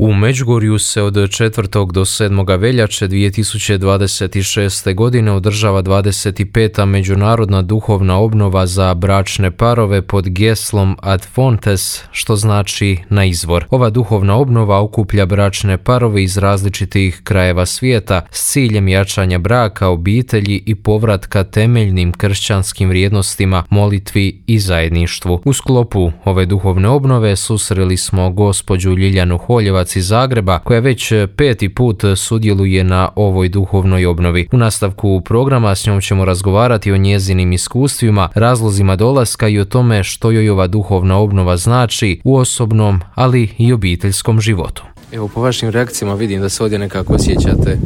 U Međugorju se od 4. do 7. veljače 2026. godine održava 25. međunarodna duhovna obnova za bračne parove pod geslom Ad Fontes, što znači na izvor. Ova duhovna obnova okuplja bračne parove iz različitih krajeva svijeta s ciljem jačanja braka, obitelji i povratka temeljnim kršćanskim vrijednostima, molitvi i zajedništvu. U sklopu ove duhovne obnove susreli smo gospođu Ljiljanu Holjevac iz Zagreba, koja već 5. put sudjeluje na ovoj duhovnoj obnovi. U nastavku programa s njom ćemo razgovarati o njezinim iskustvima, razlozima dolaska i o tome što joj ova duhovna obnova znači u osobnom, ali i obiteljskom životu. Evo, po vašim reakcijama vidim da se ovdje nekako osjećate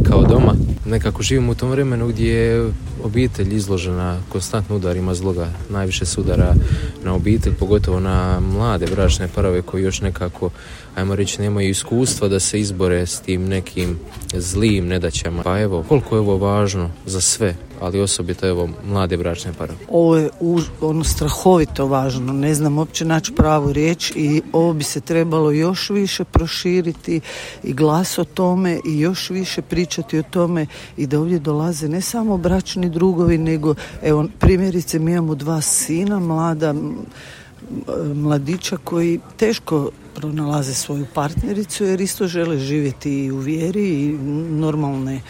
kao doma. Nekako živimo u tom vremenu gdje je obitelj izložena konstantno udarima zloga. Najviše se udara na obitelj, pogotovo na mlade bračne parove koji još nekako, ajmo reći, nemaju iskustva da se izbore s tim nekim zlim nedaćama. Pa evo, koliko je ovo važno za sve, ali osobito evo mlade bračne parove. Ovo je strahovito važno, ne znam uopće naći pravu riječ i ovo bi se trebalo još više proširiti i glas o tome i još više pričati o tome i da ovdje dolaze ne samo bračni drugovi, nego evo primjerice mi imamo 2 sina, mladića koji teško pronalaze svoju partnericu jer isto žele živjeti i u vjeri i normalne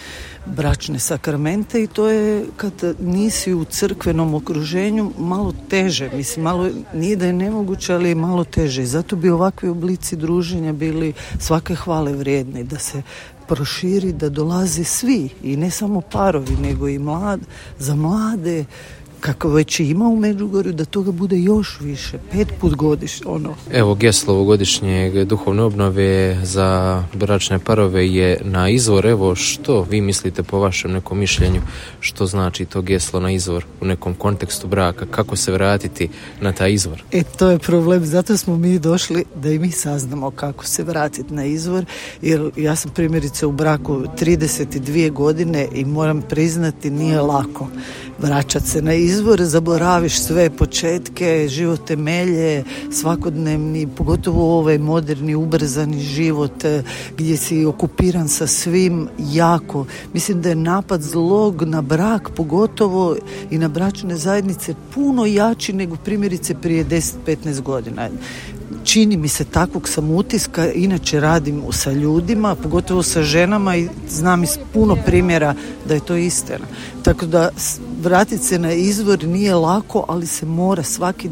bračne sakramente i to je kad nisi u crkvenom okruženju malo teže, mislim malo nije da je nemoguće, ali je malo teže i zato bi ovakvi oblici druženja bili svake hvale vrijedni, da se proširi, da dolaze svi i ne samo parovi nego i za mlade kako već ima u Međugorju, da toga bude još više, 5 put godišnje. Evo, geslo ovogodišnjeg duhovne obnove za bračne parove je na izvor. Evo, što vi mislite po vašem nekom mišljenju, što znači to geslo na izvor u nekom kontekstu braka, kako se vratiti na taj izvor? To je problem, zato smo mi došli da i mi saznamo kako se vratiti na izvor, jer ja sam primjerice u braku 32 godine i moram priznati nije lako vraćati se na izvor, zaboraviš sve početke, život temelje, svakodnevni, pogotovo ovaj moderni, ubrzani život gdje si okupiran sa svim jako. Mislim da je napad zlog na brak, pogotovo i na bračne zajednice, puno jači nego primjerice prije 10-15 godina. Čini mi se, takvog sam utiska, inače radim sa ljudima, pogotovo sa ženama i znam iz puno primjera da je to istina. Tako da vratiti se na izvor nije lako, ali se mora svaki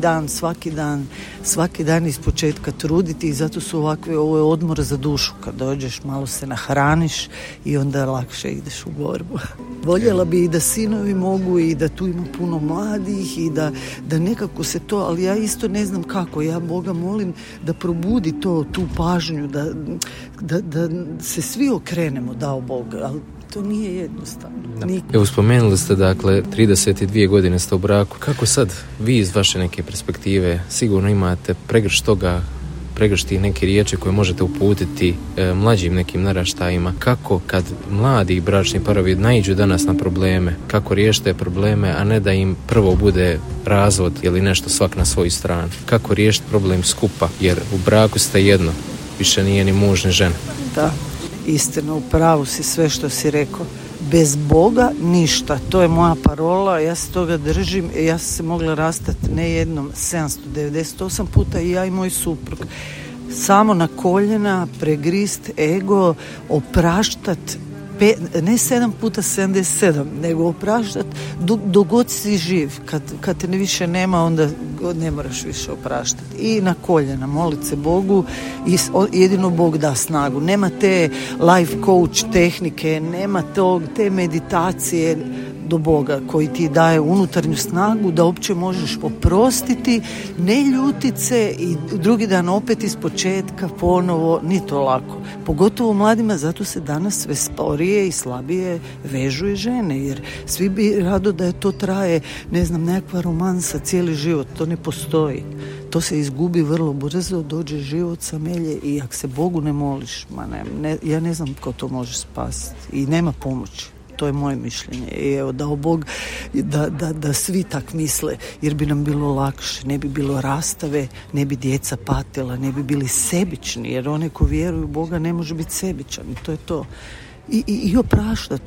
dan iz početka truditi i zato su ovo je odmor za dušu. Kad dođeš, malo se nahraniš i onda lakše ideš u borbu. Voljela bi i da sinovi mogu i da tu ima puno mladih i da nekako se to, ali ja isto ne znam kako. Ja Boga molim da probudi tu pažnju, da se svi okrenemo, dao Bog, ali to nije jednostavno. Evo, spomenuli ste, dakle, 32 godine ste u braku. Kako sad vi iz vaše neke perspektive sigurno imate pregršt tih neke riječi koje možete uputiti mlađim nekim naraštajima? Kako kad mladi bračni parovi naiđu danas na probleme, kako riješiti te probleme, a ne da im prvo bude razvod ili nešto svak na svoju stranu? Kako riješiti problem skupa? Jer u braku ste jedno, više nije ni muž ni žena. Da, istina, u pravu si sve što si rekao. Bez Boga ništa, to je moja parola, ja se toga držim, ja sam se mogla rastati ne jednom 798 puta i ja i moj suprug. Samo na koljena, pregrist ego, opraštat, ne 7 puta 77, nego opraštat dok god si živ. Kad te više nema, onda ne moraš više opraštati. I na koljena, molit se Bogu i jedino Bog da snagu. Nema te life coach tehnike, nema te meditacije do Boga koji ti daje unutarnju snagu da uopće možeš oprostiti, ne ljutit se i drugi dan opet iz početka ponovo, ni to lako. Pogotovo mladima, zato se danas sve sporije i slabije vežu i žene, jer svi bi rado da je to traje, ne znam, nekakva romansa cijeli život, to ne postoji. To se izgubi vrlo brzo, dođe život samelje i ako se Bogu ne moliš, ja ne znam ko to može spasiti i nema pomoći. to je moje mišljenje. I evo, dao Bog da svi tak misle, jer bi nam bilo lakše, ne bi bilo rastave, ne bi djeca patila, ne bi bili sebični, jer one ko vjeruju u Boga ne može biti sebičan, i to je to. I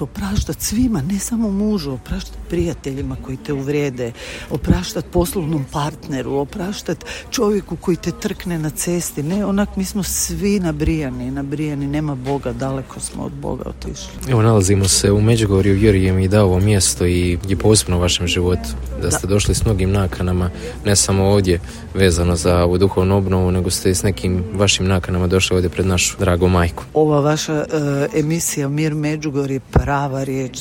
opraštat svima, ne samo mužu, opraštat prijateljima koji te uvrijede, opraštat poslovnom partneru, opraštat čovjeku koji te trkne na cesti. Ne, onak mi smo svi nabrijani, nema Boga, daleko smo od Boga otišli. Evo, nalazimo se u Međugorju, Jurije mi je dao ovo mjesto i je posebno u vašem životu, da ste došli s mnogim nakanama, ne samo ovdje vezano za ovu duhovnu obnovu, nego ste s nekim vašim nakanama došli ovdje pred našu dragu majku. Ova vaša emisija Mir Međugorje je prava riječ.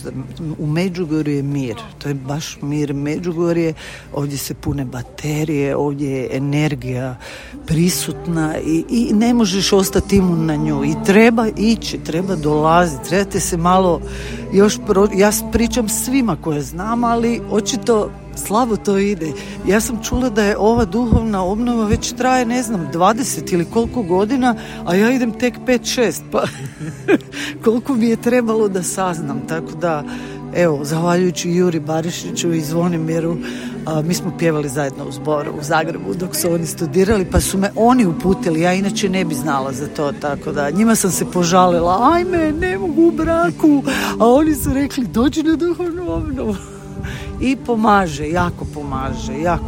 U Međugorju je mir. To je baš mir Međugorje. Ovdje se pune baterije, ovdje je energija prisutna i ne možeš ostati imun na nju. I treba ići, treba dolaziti, trebate se malo još ja pričam svima koje znam, ali očito slabo to ide. Ja sam čula da je ova duhovna obnova već traje, 20 ili koliko godina, a ja idem tek 5-6, pa koliko mi je trebalo da saznam. Tako da, evo, zahvaljujući Juri Barišiću i Zvonimiru, mi smo pjevali zajedno u zboru u Zagrebu dok su oni studirali, pa su me oni uputili, ja inače ne bi znala za to, tako da njima sam se požalila, ajme, ne mogu u braku, a oni su rekli, dođi na duhovnu obnovu. I pomaže, jako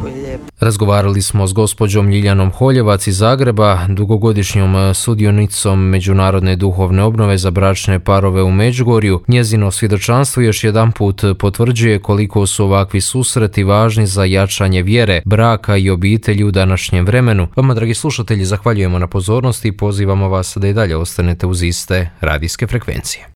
je lijepo. Razgovarali smo s gospođom Ljiljanom Holjevac iz Zagreba, dugogodišnjom sudionicom Međunarodne duhovne obnove za bračne parove u Međugorju. Njezino svjedočanstvo još jedanput potvrđuje koliko su ovakvi susreti važni za jačanje vjere, braka i obitelji u današnjem vremenu. Vama, dragi slušatelji, zahvaljujemo na pozornosti i pozivamo vas da i dalje ostanete uz iste radijske frekvencije.